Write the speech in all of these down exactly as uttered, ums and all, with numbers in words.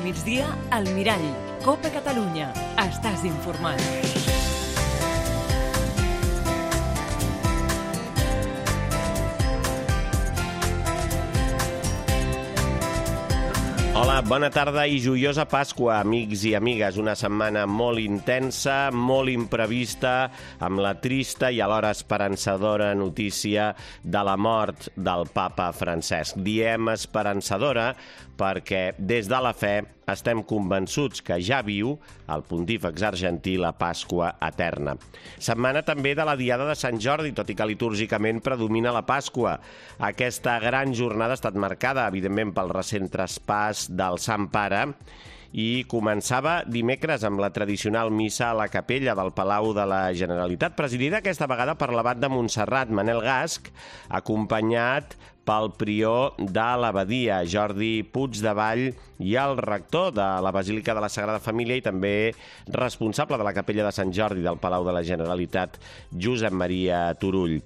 migdia, al Mirall. Copa Catalunya. Estàs informat. Hola, bona tarda i joiosa Pasqua, amics i amigues. Una setmana molt intensa, molt imprevista, amb la trista i alhora esperançadora notícia de la mort del papa Francesc. Diem esperançadora perquè des de la fe estem convençuts que ja viu el pontífex argentí la Pasqua eterna. Setmana també de la Diada de Sant Jordi, tot i que litúrgicament predomina la Pasqua. Aquesta gran jornada ha estat marcada, evidentment, pel recent traspàs del Sant Pare i començava dimecres amb la tradicional missa a la capella del Palau de la Generalitat, presidida aquesta vegada per l'abat de Montserrat, Manel Gasch, acompanyat pel prior de l'abadia, Jordi Puigdevall, i el rector de la Basílica de la Sagrada Família i també responsable de la capella de Sant Jordi del Palau de la Generalitat, Josep Maria Turull.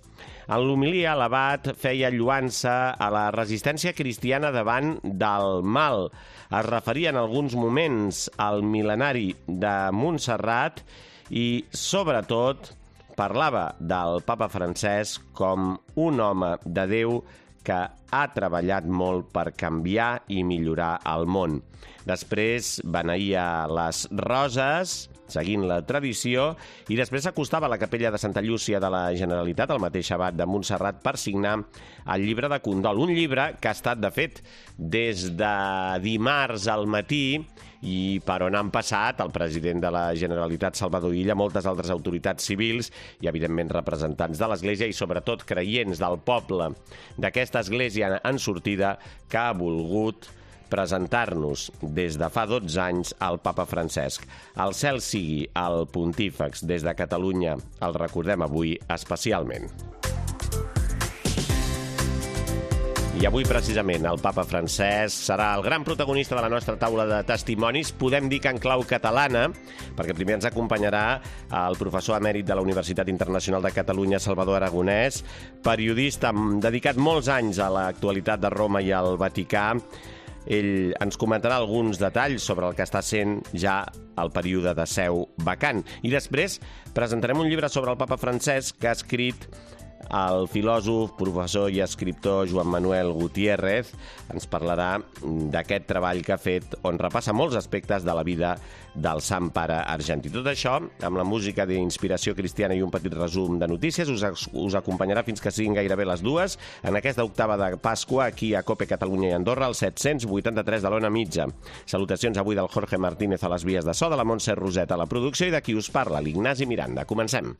En l'homilia, l'abat feia lluança a la resistència cristiana davant del mal. Es referia en alguns moments al mil·lenari de Montserrat i, sobretot, parlava del papa Francesc com un home de Déu que ha treballat molt per canviar i millorar el món. Després beneïa les roses, seguint la tradició, i després s'acostava a la capella de Santa Llúcia de la Generalitat, el mateix abat de Montserrat, per signar el llibre de condol. Un llibre que ha estat, de fet, des de dimarts al matí i per on han passat el president de la Generalitat, Salvador Illa, moltes altres autoritats civils i, evidentment, representants de l'Església i, sobretot, creients del poble d'aquesta Església en sortida que ha volgut presentar-nos des de fa dotze anys al papa Francesc. El cel sigui el pontífex des de Catalunya, el recordem avui especialment. I avui, precisament, el papa Francesc serà el gran protagonista de la nostra taula de testimonis, podem dir que en clau catalana, perquè primer ens acompanyarà el professor emèrit de la Universitat Internacional de Catalunya, Salvador Aragonès, periodista dedicat molts anys a l'actualitat de Roma i al Vaticà. Ell ens comentarà alguns detalls sobre el que està sent ja el període de seu vacant. I després presentarem un llibre sobre el papa Francesc que ha escrit el filòsof, professor i escriptor Joan Manuel Gutiérrez. Ens parlarà d'aquest treball que ha fet on repassa molts aspectes de la vida del Sant Pare argentí. Tot això, amb la música d'inspiració cristiana i un petit resum de notícies, us, us acompanyarà fins que siguin gairebé les dues en aquesta octava de Pasqua aquí a Cope Catalunya i Andorra, al set-cents vuitanta-tres de l'Ona Mitja. Salutacions avui del Jorge Martínez a les vies de so, de la Montse Roset a la producció i de qui us parla, l'Ignasi Miranda. Comencem.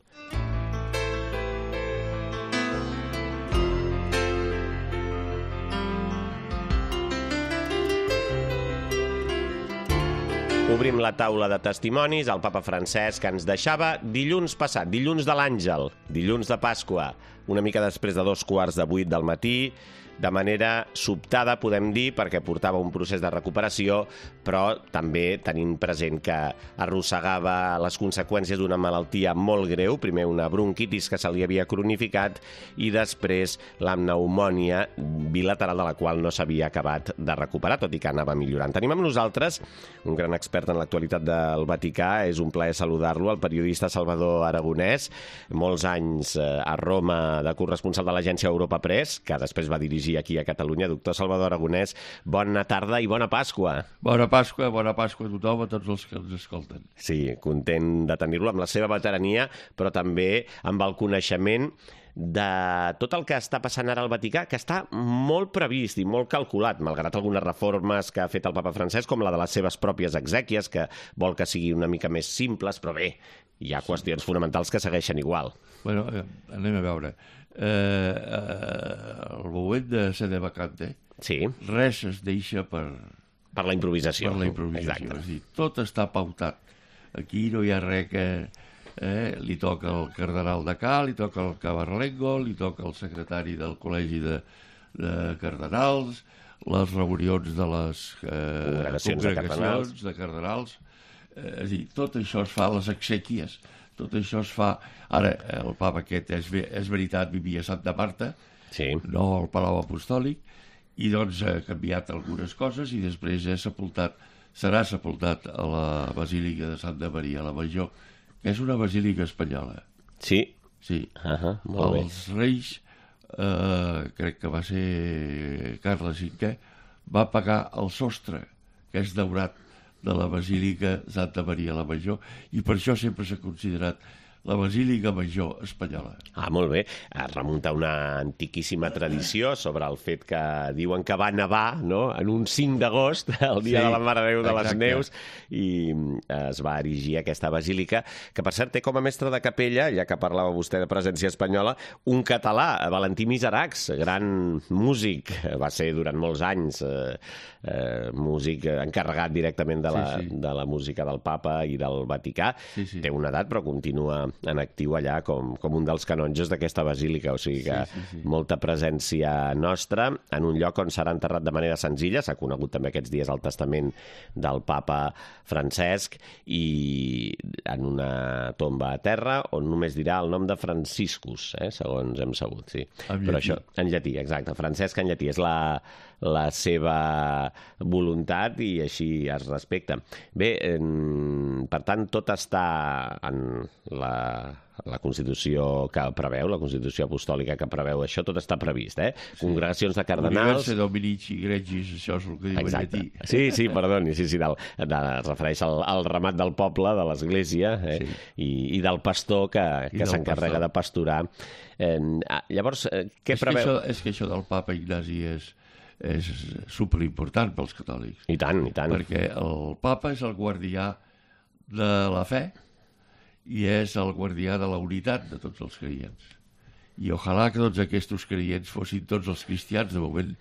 Obrim la taula de testimonis. El papa Francesc ens deixava dilluns passat, dilluns de l'Àngel, dilluns de Pasqua, una mica després de dos quarts de vuit del matí, de manera sobtada, podem dir, perquè portava un procés de recuperació, però també tenint present que arrossegava les conseqüències d'una malaltia molt greu, primer una bronquitis que se li havia cronificat i després la pneumònia bilateral de la qual no s'havia acabat de recuperar, tot i que anava millorant. Tenim amb nosaltres un gran expert en l'actualitat del Vaticà, és un plaer saludar-lo, el periodista Salvador Aragonès, molts anys a Roma de corresponsal de l'agència Europa Press, que després va dirigir aquí a Catalunya. Doctor Salvador Aragonès, bona tarda i bona Pasqua. Bona Pasqua, bona Pasqua a tothom, a tots els que ens escolten. Sí, content de tenir-lo amb la seva veterania, però també amb el coneixement de tot el que està passant ara al Vaticà, que està molt previst i molt calculat, malgrat algunes reformes que ha fet el papa Francesc, com la de les seves pròpies exèquies, que vol que sigui una mica més simples, però bé, hi ha qüestions fonamentals que segueixen igual. Bueno, anem a veure. Eh, eh, el moment de sede vacante, sí. Res es deixa per... Per la improvisació. Per la improvisació. És dir, tot està pautat. Aquí no hi ha res que... Eh, li toca el cardenal de Cal, li toca el Cabarlengo, li toca el secretari del Col·legi de, de Cardenals, les reunions de les eh, congregacions, congregacions de cardenals. De cardenals. Eh, és dir, tot això es fa a les exèquies. Tot això es fa... Ara, el papa aquest, és, és veritat, vivia a Santa Marta, sí. No al Palau Apostòlic, i doncs ha canviat algunes coses i després ha sepultat serà sepultat a la Basílica de Santa Maria la Major, que és una basílica espanyola. Sí? Sí. Uh -huh, molt bé. Els reis, eh, crec que va ser Carles cinquè, va pagar el sostre, que és daurat, de la Basílica Santa Maria la Major, i per això sempre s'ha considerat la Basílica Major espanyola. Ah, molt bé. Es remunta a una antiquíssima tradició sobre el fet que diuen que va nevar, no?, en un cinc d'agost, el dia Sí, de la Mare de Déu de les exacte. Neus, i es va erigir aquesta basílica, que per cert té com a mestre de capella, ja que parlava vostè de presència espanyola, un català, Valentí Miseracs, gran músic, va ser durant molts anys eh, eh, músic encarregat directament de la, Sí, sí. de la música del Papa i del Vaticà. Sí, sí. Té una edat, però continua en actiu allà com, com un dels canonges d'aquesta basílica, o sigui que Sí, sí, sí. molta presència nostra en un lloc on serà enterrat de manera senzilla. S'ha conegut també aquests dies el testament del papa Francesc, i en una tomba a terra on només dirà el nom de Franciscus, eh, segons hem sabut, sí. En Però llatí. això, en llatí, exacte. Francesc en llatí és la, la seva voluntat i així es respecta. Bé, eh, per tant, tot està en la, la Constitució que preveu, la Constitució apostòlica que preveu això, tot està previst, eh? Congregacions de cardenals... Universe Dominici Gregis, això és el que diu Exacte. en llatí. Sí, sí, perdoni, sí, sí, del, de, es refereix al, al ramat del poble, de l'església, eh? Sí. I, i del pastor que, I que del s'encarrega pastor. de pasturar. Eh, ah, llavors, eh, què És que, preveu? això, és que això del papa Ignasi és, és superimportant pels catòlics, I tant, i tant. perquè el papa és el guardià de la fe i és el guardià de la unitat de tots els creients. I ojalà que tots aquests creients fossin tots els cristians, de moment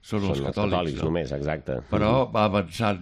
són, Són els catòlics, catòlics no? només, exacte. Però va avançant,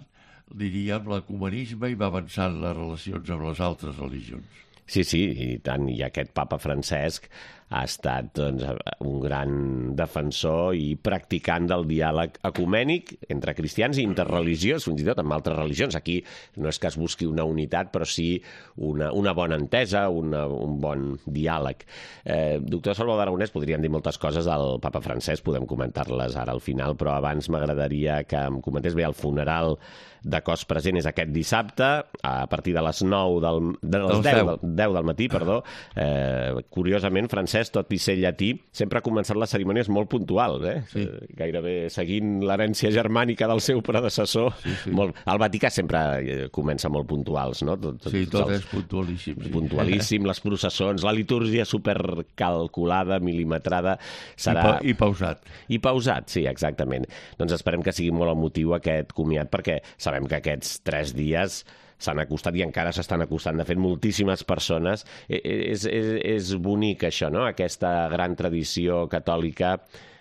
diríem, l'ecumenisme i va avançant les relacions amb les altres religions. Sí, sí, i tant. I aquest papa Francesc ha estat doncs, un gran defensor i practicant del diàleg ecumènic entre cristians i interreligiós, fins i tot amb altres religions. Aquí no és que es busqui una unitat, però sí una, una bona entesa, una, un bon diàleg. Eh, doctor Salvador Aragonès, podríem dir moltes coses del papa Francesc, podem comentar-les ara al final, però abans m'agradaria que em comentés bé el funeral de cos present és aquest dissabte, a partir de les nou del, de les deu, del, deu del matí, perdó. Eh, curiosament, Francesc, tot i ser llatí, sempre ha començat les cerimònies molt puntuals, eh? Sí. Eh, gairebé seguint l'herència germànica del seu predecessor. Sí, sí. Molt, el Vaticà sempre eh, comença molt puntuals, no? Tot, tot, Sí, tot els- és puntualíssim. Sí. puntualíssim, les processons, la litúrgia supercalculada, milimetrada, serà... I, pa I pausat. I pausat, sí, exactament. Doncs esperem que sigui molt emotiu aquest comiat, perquè sabem que aquests tres dies s'han acostat i encara s'estan acostant. De fet, moltíssimes persones. Eh, És, és, és bonic això, no?, aquesta gran tradició catòlica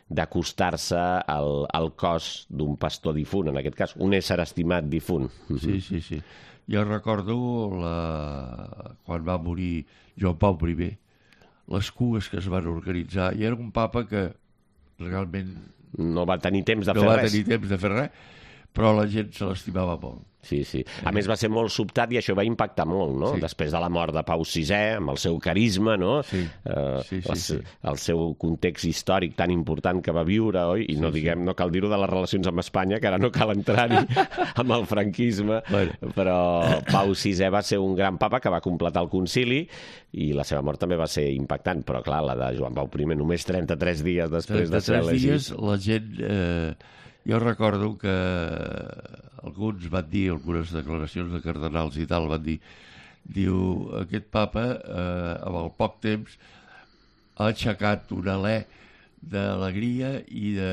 d'acostar-se al, al cos d'un pastor difunt, en aquest cas, un ésser estimat difunt. Sí, sí, sí. Jo recordo la... quan va morir Joan Pau primer, les cues que es van organitzar, i era un papa que realment No va tenir temps de no fer va res. tenir temps de fer res, però la gent se l'estimava molt. Sí, sí. A més, va ser molt sobtat i això va impactar molt, no? Sí. Després de la mort de Pau sisè, amb el seu carisma, no? Sí, Eh, sí, sí, el, sí. el seu context històric tan important que va viure, oi? I no, diguem, no cal dir-ho de les relacions amb Espanya, que ara no cal entrar-hi amb el franquisme, Bueno. però Pau sisè va ser un gran papa que va completar el concili i la seva mort també va ser impactant, però clar, la de Joan Pau primer, només trenta-tres dies després de ser trenta-tres elegit. dies la gent... Eh, jo recordo que alguns van dir, algunes declaracions de cardenals i tal, van dir, diu, aquest papa, eh, amb el poc temps, ha aixecat un alè d'alegria i de,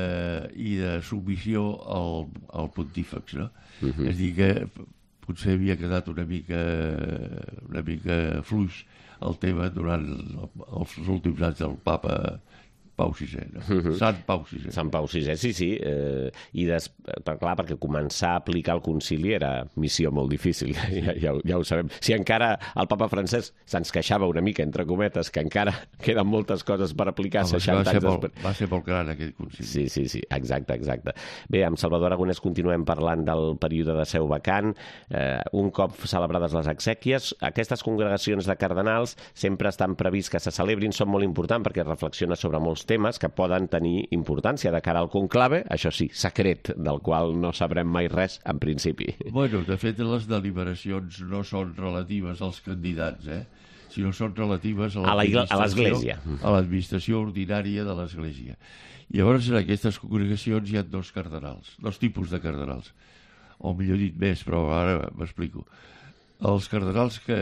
i de submissió al, al pontífex, no? Mhm. Uh-huh. És a dir, que potser havia quedat una mica, una mica fluix el tema durant els últims anys del papa Pau sisè, no? Mhm. Sant Pau sisè. Sant Pau sisè, sí, sí. Eh, I des... però, clar, perquè començar a aplicar el concili era missió molt difícil, ja, ja, ho- ja ho sabem. Si encara el papa Francesc se'ns queixava una mica, entre cometes, que encara queden moltes coses per aplicar Home, seixanta va, ser anys molt, després. va ser molt gran aquest concili. Sí, sí, sí, exacte, exacte. Bé, amb Salvador Aragonès continuem parlant del període de seu vacant. Eh, un cop celebrades les exèquies, aquestes congregacions de cardenals sempre estan previst que se celebrin, són molt importants perquè reflexiona sobre molts temes que poden tenir importància de cara al conclave, això sí, secret, del qual no sabrem mai res en principi. Bueno, de fet, les deliberacions no són relatives als candidats, eh? sinó són relatives a l'Església. A l'administració ordinària de l'Església. Llavors, en aquestes congregacions hi ha dos cardenals, dos tipus de cardenals. O millor dit més, però ara m'explico. Els cardenals que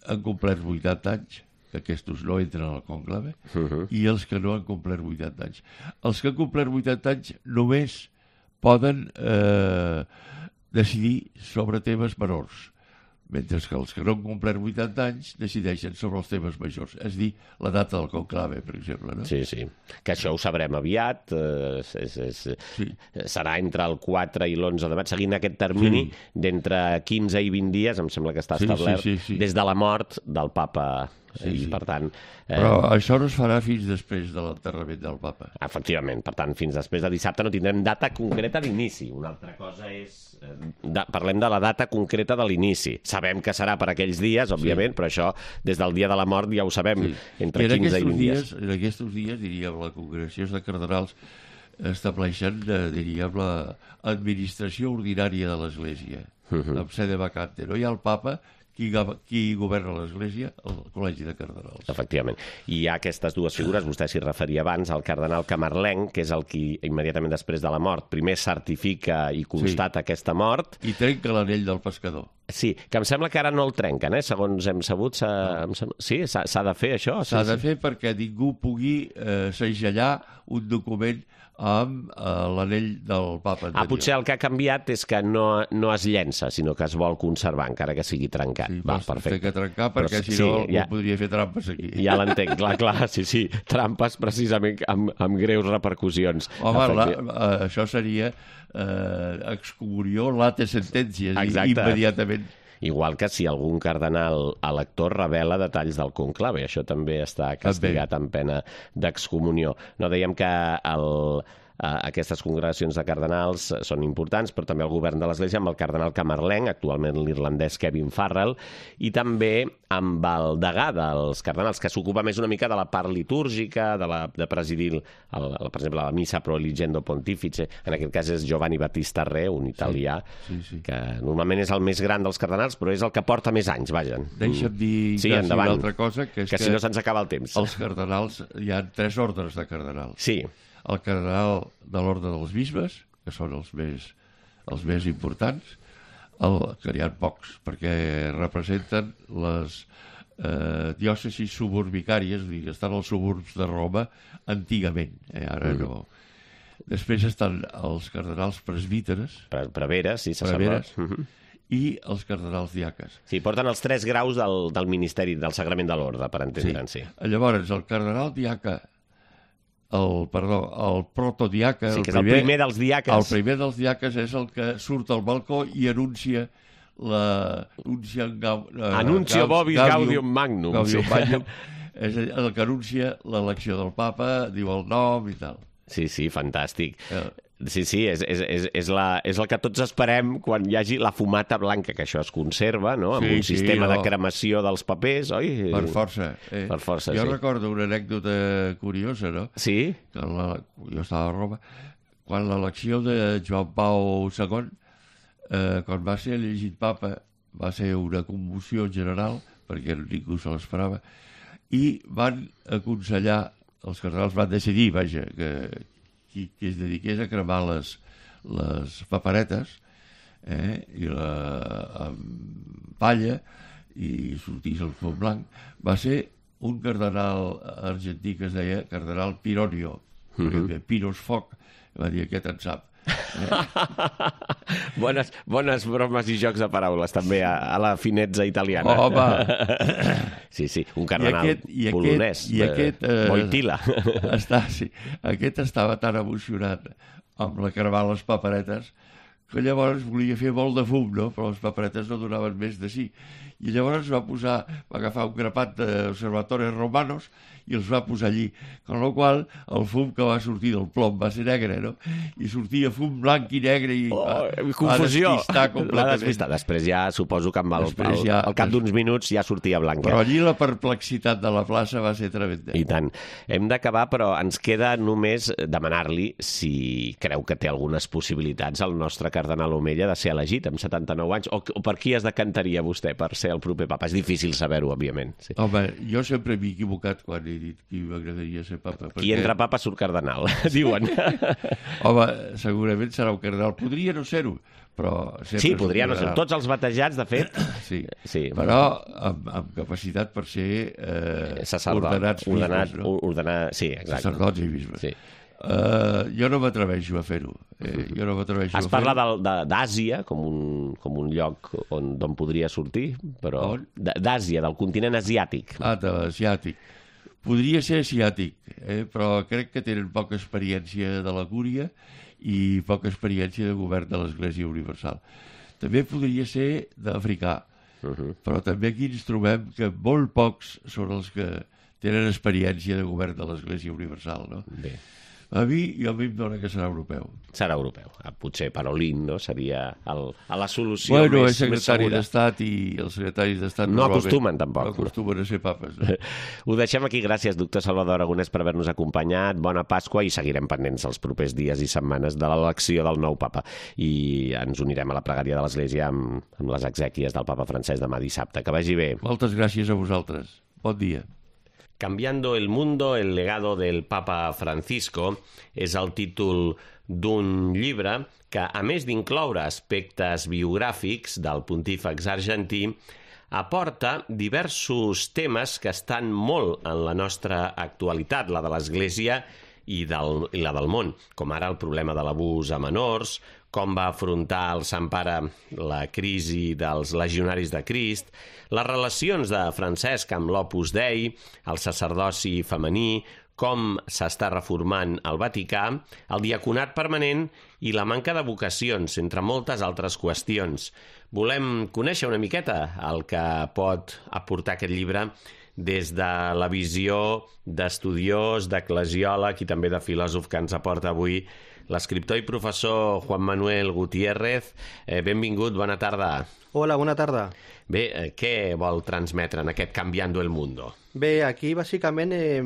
han complert vuitanta anys, que aquests no entren al conclave, uh-huh. i els que no han complert vuitanta anys. Els que han complert vuitanta anys només poden eh, decidir sobre temes menors, mentre que els que no han complert vuitanta anys decideixen sobre els temes majors, és dir, la data del conclave, per exemple. No? Sí, sí, que això ho sabrem aviat, eh, és, és, sí. serà entre el quatre i l'onze de maig, seguint aquest termini sí. d'entre quinze i vint dies, em sembla que està establert, sí, sí, sí, sí. des de la mort del papa. Sí, I, sí. per tant, eh... Però això no es farà fins després de l'enterrament del papa. Efectivament, per tant, fins després de dissabte no tindrem data concreta d'inici. Una altra cosa és... Eh, de, parlem de la data concreta de l'inici. Sabem que serà per aquells dies, òbviament, sí. però això, des del dia de la mort ja ho sabem, sí. entre quinze i vint dies. dies. En aquests dies, diríem, la congregació de cardenals estableixen, eh, diríem, l'administració ordinària de l'Església, uh-huh. amb sede vacante. No hi ha el papa... Qui, qui governa l'Església? El Col·legi de Cardenals. Efectivament. I hi ha aquestes dues figures, vostè s'hi referia abans, el cardenal camarlenc, que és el qui, immediatament després de la mort, primer certifica i constata sí. aquesta mort. I trenca l'anell del pescador. Sí, que em sembla que ara no el trenquen, eh? Segons hem sabut. No. Sí, s'ha de fer això? S'ha sí, de sí. fer perquè ningú pugui eh, segellar un document amb eh, l'anell del papa anterior. Ah, potser el que ha canviat és que no, no es llença, sinó que es vol conservar, encara que sigui trencat. Sí, Va, perfecte. Té que trencar perquè però, si no sí, ja, podria fer trampes aquí. Ja l'entenc, clar, clar, sí, sí. Trampes precisament amb, amb greus repercussions. Home, la, uh, això seria uh, excomunió late sentències immediatament. Igual que si algun cardenal elector revela detalls del conclave. Això també està castigat amb pena d'excomunió. No, dèiem que el... aquestes congregacions de cardenals són importants, però també el govern de l'Església amb el cardenal camarlenc, actualment l'irlandès Kevin Farrell, i també amb el degà dels cardenals, que s'ocupa més una mica de la part litúrgica, de, la, de presidir, el, per exemple, la Missa Pro Eligendo Pontifice, en aquest cas és Giovanni Battista Re, un italià, sí, sí, sí. que normalment és el més gran dels cardenals, però és el que porta més anys, vaja. Deixa'm dir sí, una altra cosa, que és que, que si no se'ns acaba el temps. Els cardenals, hi ha tres ordres de cardenals. Sí. El cardenal de l'ordre dels bisbes, que són els més, els més importants, el, que n'hi ha pocs, perquè representen les eh, diòcesis suburbicàries, vull dir, que estan als suburbs de Roma antigament, eh, ara mm. no. Després estan els cardenals presbíteres, Pre preveres, sí, sacerdots. Mm -hmm. i els cardenals diaques. Sí, porten els tres graus del, del ministeri, del sagrament de l'ordre, per entendre'n, sí. sí. Llavors, el cardenal diaca El, perdó, el protodiaca... Sí, que és el primer, el primer dels diaques. El primer dels diaques és el que surt al balcó i anuncia la... Anuncia, gau, uh, Anuncio Vobis Gaudium Magnum. Gaudium sí. Magnum. És el que anuncia l'elecció del papa, diu el nom i tal. Sí, sí, fantàstic. Uh. Sí, sí, és, és, és, és, la, és el que tots esperem quan hi hagi la fumata blanca, que això es conserva, no?, amb sí, un sistema sí, no. de cremació dels papers, oi? Per força. Eh? Per força, jo sí. recordo una anècdota curiosa, no? Sí? Que la, jo estava a Roma, quan l'elecció de Joan Pau segon, eh, quan va ser elegit papa, va ser una commoció general, perquè ningú se l'esperava, i van aconsellar, els cardenals van decidir, vaja, que qui, qui es dediqués a cremar les, les paperetes eh, i la amb palla i sortís el fum blanc, va ser un cardenal argentí que es deia cardenal Pironio, uh -huh. Piros Foc, va dir aquest en sap. Eh? bones, bones bromes i jocs de paraules també a, a la finezza italiana. Home! Sí, sí, un cardenal I aquest, i aquest, polonès, i aquest, eh, Wojtyla. Està, sí, aquest estava tan emocionat amb la cremar les paperetes que llavors volia fer molt de fum, no? Però les paperetes no donaven més de sí. I llavors va posar, va agafar un grapat d'observatoris romanos i els va posar allí, con lo qual el fum que va sortir del plom va ser negre, no? I sortia fum blanc i negre i oh, va, confusió. va despistar completament. Va despistar. Després ja suposo que amb el, el, ja, al cap d'uns minuts ja sortia blanca. Però allí la perplexitat de la plaça va ser tremenda. I tant. Hem d'acabar, però ens queda només demanar-li si creu que té algunes possibilitats el nostre cardenal Omella de ser elegit amb setanta-nou anys, o, o per qui es decantaria vostè per ser el proper papa? És difícil saber-ho, òbviament. Sí. Home, jo sempre m'he equivocat quan he dit que m'agradaria ser papa. Perquè... Qui entra papa surt cardenal, diuen. Home, segurament serà un cardenal. Podria no ser-ho, però... Sí, podria no ser-ho. Tots els batejats, de fet... Sí, sí. Però amb, amb capacitat per ser eh, Sacerdot, ordenats ordenat, bisbes, no? Ordenar, sí, exacte. Sacerdots i bisbes. Sí. Uh, jo no m'atreveixo a fer-ho. Eh, jo no m'atreveixo a Es fer-ho. parla d'Àsia com, un, com un lloc on, d'on podria sortir, però... D'Àsia, del continent asiàtic. Ah, de l'asiàtic. Podria ser asiàtic, eh? Però crec que tenen poca experiència de la cúria i poca experiència de govern de l'Església Universal. També podria ser d'africà, uh -huh. però també aquí ens trobem que molt pocs són els que tenen experiència de govern de l'Església Universal, no? Bé. A mi, jo a mi em dóna que serà europeu. Serà europeu. Potser Parolin, no? Seria el, a la solució bueno, més, és secretari més d'Estat i els secretaris d'Estat no acostumen, tampoc. No acostumen a ser papes. No? Ho deixem aquí. Gràcies, doctor Salvador Aragonès, per haver-nos acompanyat. Bona Pasqua i seguirem pendents els propers dies i setmanes de l'elecció del nou papa. I ens unirem a la pregària de l'Església amb, amb les exèquies del papa Francesc demà dissabte. Que vagi bé. Moltes gràcies a vosaltres. Bon dia. Cambiando el mundo, el legado del Papa Francisco és el títol d'un llibre que, a més d'incloure aspectes biogràfics del pontífex argentí, aporta diversos temes que estan molt en la nostra actualitat, la de l'Església i, del, i la del món, com ara el problema de l'abús a menors, com va afrontar el Sant Pare la crisi dels legionaris de Crist, les relacions de Francesc amb l'Opus Dei, el sacerdoci femení, com s'està reformant el Vaticà, el diaconat permanent i la manca de vocacions, entre moltes altres qüestions. Volem conèixer una miqueta el que pot aportar aquest llibre des de la visió d'estudiós, d'eclesiòleg i també de filòsof que ens aporta avui l'escriptor i professor Juan Manuel Gutiérrez. Eh, benvingut, bona tarda. Hola, bona tarda. Bé, eh, què vol transmetre en aquest Cambiando el Mundo? Bé, aquí bàsicament eh,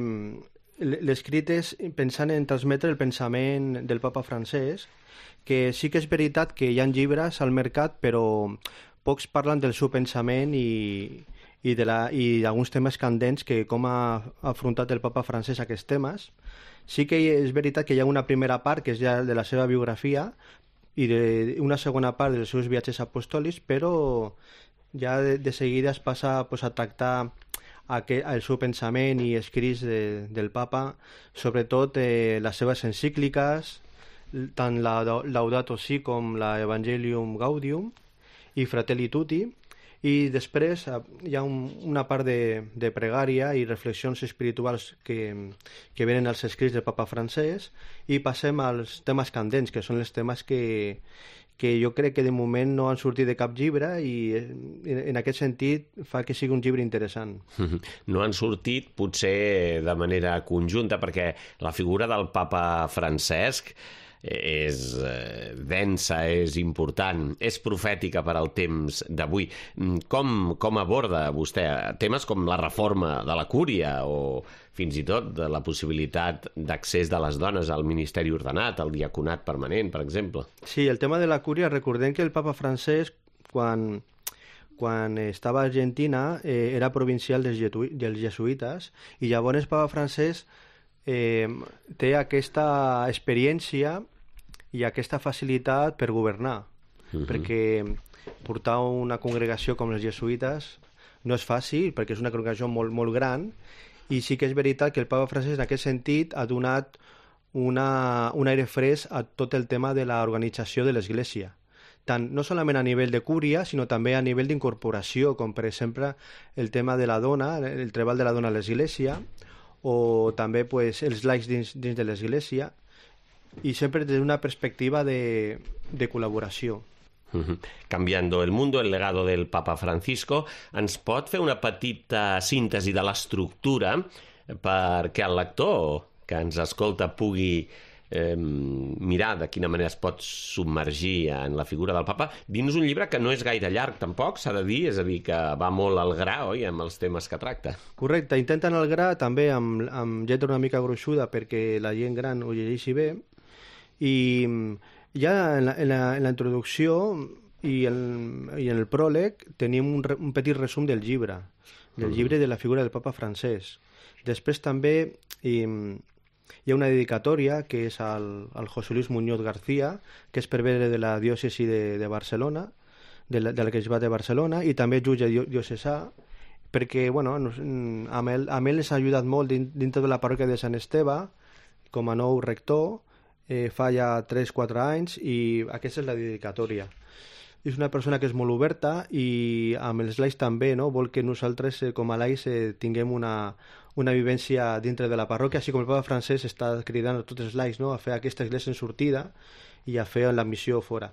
l'escrit és pensant en transmetre el pensament del papa francès, que sí que és veritat que hi ha llibres al mercat, però pocs parlen del seu pensament i, i d'alguns temes candents que com ha afrontat el papa francès aquests temes. Sí que és veritat que hi ha una primera part que és ja de la seva biografia i de, una segona part dels seus viatges apostòlics, però ja de, de seguida es passa pues, a tractar aquest, el seu pensament i escrits de, del papa, sobretot eh, les seves encícliques, tant la Laudato Si com la Evangelium Gaudium i Fratelli Tutti, i després hi ha un, una part de, de pregària i reflexions espirituals que, que venen als escrits del papa francès, i passem als temes candents, que són els temes que, que jo crec que de moment no han sortit de cap llibre, i en aquest sentit fa que sigui un llibre interessant. No han sortit potser de manera conjunta, perquè la figura del papa Francesc és eh, densa, és important, és profètica per al temps d'avui. Com, com aborda vostè temes com la reforma de la cúria o fins i tot de la possibilitat d'accés de les dones al ministeri ordenat, al diaconat permanent, per exemple? Sí, el tema de la cúria, recordem que el papa francès, quan, quan estava a Argentina, eh, era provincial dels, dels jesuïtes, i llavors el papa francès eh, té aquesta experiència i aquesta facilitat per governar, uh-huh. perquè portar una congregació com els jesuïtes no és fàcil, perquè és una congregació molt, molt gran, i sí que és veritat que el papa francès en aquest sentit ha donat una, un aire fresc a tot el tema de l'organització de l'Església, tant no solament a nivell de cúria, sinó també a nivell d'incorporació, com per exemple el tema de la dona, el treball de la dona a l'Església, o també pues, els laics dins, dins de l'Església. i sempre des d'una perspectiva de, de col·laboració. Uh-huh. Cambiando el mundo, el legado del Papa Francisco, ens pot fer una petita síntesi de l'estructura perquè el lector que ens escolta pugui eh, mirar de quina manera es pot submergir en la figura del papa dins un llibre que no és gaire llarg tampoc, s'ha de dir, és a dir, que va molt al gra, oi?, amb els temes que tracta. Correcte, intenta anar al gra també amb, amb lletra una mica gruixuda perquè la gent gran ho llegeixi bé, i ja en la, en la, en la introducció i, el, i en el pròleg tenim un, un petit resum del llibre, del llibre de la figura del papa francès. Després també i, hi ha una dedicatòria que és al, al José Luis Muñoz García, que és prevere de la diòcesi de, de Barcelona, de la, de l'arquebisbat de Barcelona, i també jutge diocesà, perquè bueno, amb ell, amb ell s'ha ajudat molt dintre de la parròquia de Sant Esteve, com a nou rector, eh, fa ja tres o quatre anys, i aquesta és la dedicatòria. És una persona que és molt oberta i amb els laics també, no? Vol que nosaltres, eh, com a laics, eh, tinguem una, una vivència dintre de la parròquia, així com el papa francès està cridant a tots els laics, no?, a fer aquesta església en sortida i a fer la missió fora.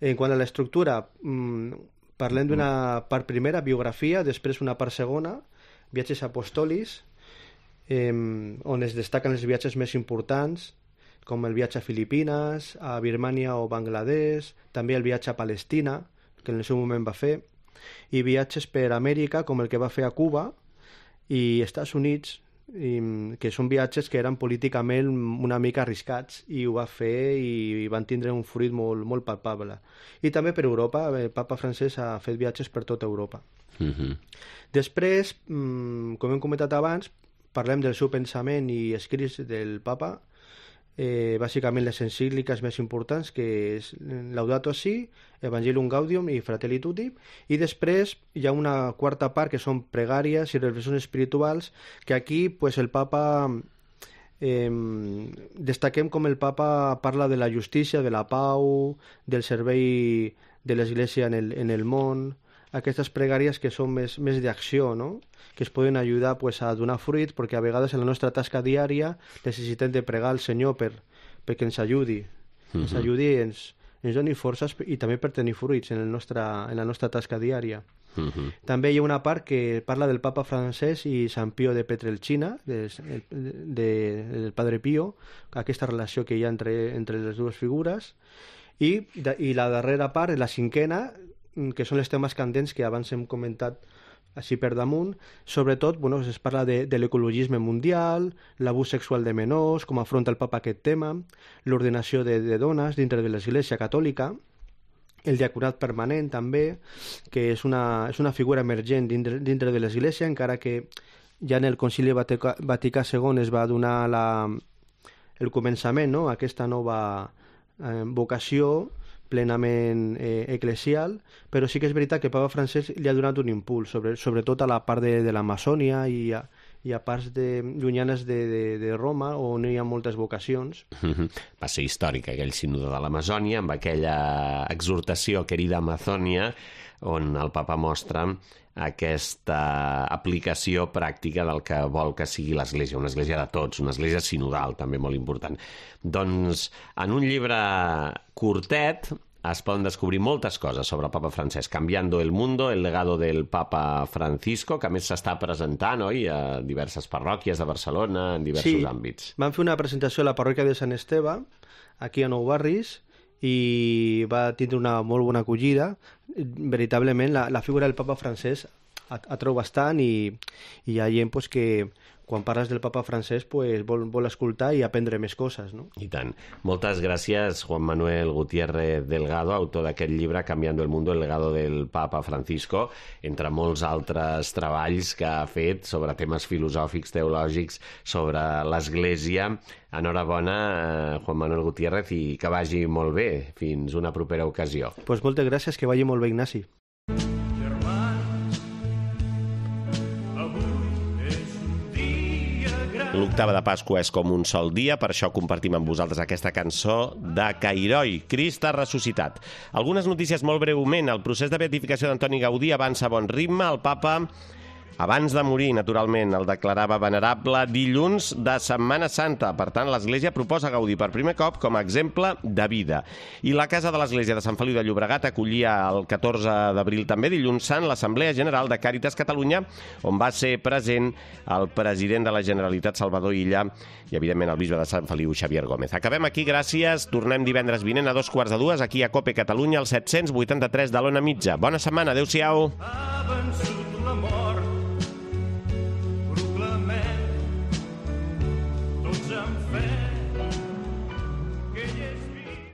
En quant a l'estructura, mmm, parlem d'una part primera, biografia, després una part segona, viatges apostolis, eh, on es destaquen els viatges més importants, com el viatge a Filipines, a Birmània o Bangladesh, també el viatge a Palestina, que en el seu moment va fer, i viatges per Amèrica, com el que va fer a Cuba i Estats Units, i, que són viatges que eren políticament una mica arriscats, i ho va fer i van tindre un fruit molt, molt palpable. I també per Europa, el papa francès ha fet viatges per tota Europa. Uh-huh. Després, com hem comentat abans, parlem del seu pensament i escrits del papa, Eh, bàsicament les encícliques més importants, que és Laudato Si, Evangelium Gaudium i Fratelli Tutti, i després hi ha una quarta part que són pregàries i reflexions espirituals, que aquí pues, el papa eh, destaquem com el papa parla de la justícia, de la pau, del servei de l'Església en el, en el món, aquestes pregàries que són més, més d'acció, no?, que es poden ajudar pues, a donar fruit, perquè a vegades en la nostra tasca diària necessitem de pregar al Senyor per, perquè ens ajudi, uh-huh. ens ajudi i ens, ens doni forces i també per tenir fruits en, el nostre, en la nostra tasca diària. Uh-huh. També hi ha una part que parla del papa francès i Sant Pío de Pietrelcina, de, de, de, del Padre Pío, aquesta relació que hi ha entre, entre les dues figures, i, de, i la darrera part, la cinquena, que són els temes candents que abans hem comentat així per damunt. Sobretot bueno, es parla de, de l'ecologisme mundial, l'abús sexual de menors, com afronta el papa aquest tema, l'ordenació de, de dones dintre de l'Església Catòlica, el diaconat permanent també, que és una, és una figura emergent dintre, dintre de l'Església, encara que ja en el Concili Vaticà, Vaticà segon es va donar la, el començament, no?, aquesta nova eh, vocació plenament eh, eclesial, però sí que és veritat que el papa francès li ha donat un impuls, sobre, sobretot a la part de, de l'Amazònia i a, i a parts de, llunyanes de, de, de Roma, on hi ha moltes vocacions. Va ser històric aquell sínode de l'Amazònia, amb aquella exhortació Querida Amazònia, on el papa mostra aquesta aplicació pràctica del que vol que sigui l'Església, una església de tots, una església sinodal, també molt important. Doncs en un llibre curtet es poden descobrir moltes coses sobre el papa francès. Cambiando el mundo, el legado del papa Francisco, que a més s'està presentant, oi?, a diverses parròquies de Barcelona, en diversos sí, àmbits. Vam fer una presentació a la parròquia de Sant Esteve, aquí a Nou Barris, i va tindre una molt bona acollida. Veritablement la, la figura del papa francès atreu bastant, i, i hi ha gent pues, que quan parles del papa francès pues, vol, vol escoltar i aprendre més coses, no? I tant. Moltes gràcies, Juan Manuel Gutiérrez Delgado, autor d'aquest llibre Cambiando el mundo, el legado del papa Francisco, entre molts altres treballs que ha fet sobre temes filosòfics, teològics, sobre l'Església. Enhorabona, Juan Manuel Gutiérrez, i que vagi molt bé. Fins una propera ocasió. Pues moltes gràcies, que vagi molt bé, Ignasi. L'octava de Pasqua és com un sol dia, per això compartim amb vosaltres aquesta cançó de Cairoi, Crist ha ressuscitat. Algunes notícies molt breument. El procés de beatificació d'Antoni Gaudí avança a bon ritme. El papa Abans de morir, naturalment, el declarava venerable dilluns de Setmana Santa. Per tant, l'Església proposa Gaudí per primer cop com a exemple de vida. I la Casa de l'Església de Sant Feliu de Llobregat acollia el catorze d'abril també, dilluns sant, l'Assemblea General de Càritas Catalunya, on va ser present el president de la Generalitat, Salvador Illa, i, evidentment, el bisbe de Sant Feliu, Xavier Gómez. Acabem aquí, gràcies. Tornem divendres vinent a dos quarts de dues, aquí a COPE Catalunya, al set-cents vuitanta-tres de l'Ona Mitja. Bona setmana, adéu-siau. Ha vençut la mort.